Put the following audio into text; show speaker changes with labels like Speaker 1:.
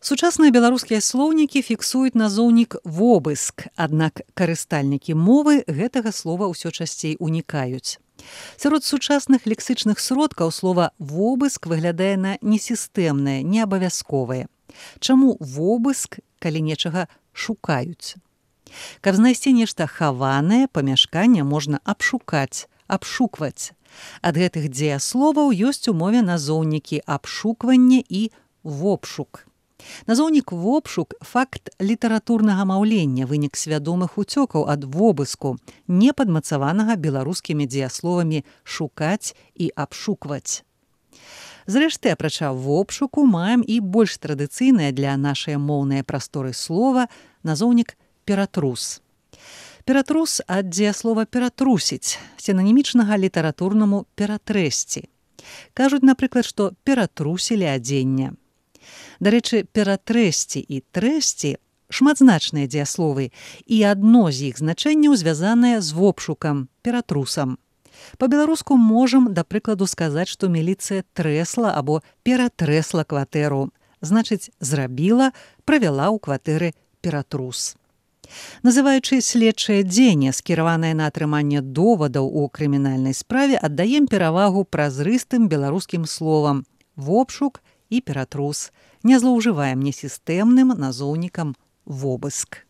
Speaker 1: Сучасныя беларускія слоўнікі фіксуюць назоўнік «вобыск», аднак карыстальнікі мовы гэтага слова ўсё часцей унікаюць. Сярод сучасных лексычных сродкаў слова «вобыск» выглядае на несістэмнае, неабавязковае. Чаму вобыск, калі нечага шукаюць? Каб знайсці нешта хаванае, памяшканне можна абшукаць, абшукваць. Ад гэтых дзеясловаў ёсць у мове назоўнікі абшукванне і вобшук. Назоўнік «вобшук» – факт літаратурнага маўлення, вынік свядомых уцёкаў ад вобыску, не падмацаванага беларускімі дзеясловамі «шукаць» і «абшукваць». Зрэшты, апрача вобшуку, маем і больш традыцыйнае для нашай моўнай прасторы слова назоўнік «ператрус». Ператрус ад дзеяслова «ператрусіць», сінанімічнага літаратурнаму «ператрэсці». Кажуць, напрыклад, што ператрусілі адзенне. Дарэчы, ператрэсці і трэсці шматзначныя дзеясловы, і адно з іх значэнняў звязанае з вобшукам, ператрусам. Па-беларуску можам, да прыкладу, сказаць, што міліцыя трэсла або ператрэсла кватэру, значыць, зрабіла, правяла ў кватэры ператрус. Называючы следчае дзеянне, скіраванае на атрыманне довадаў у крымінальнай справе, аддаем перавагу празрыстым беларускім словам «вобшук» і «ператрус». Не злоўжываем несістэмным назоўнікам «вобыск».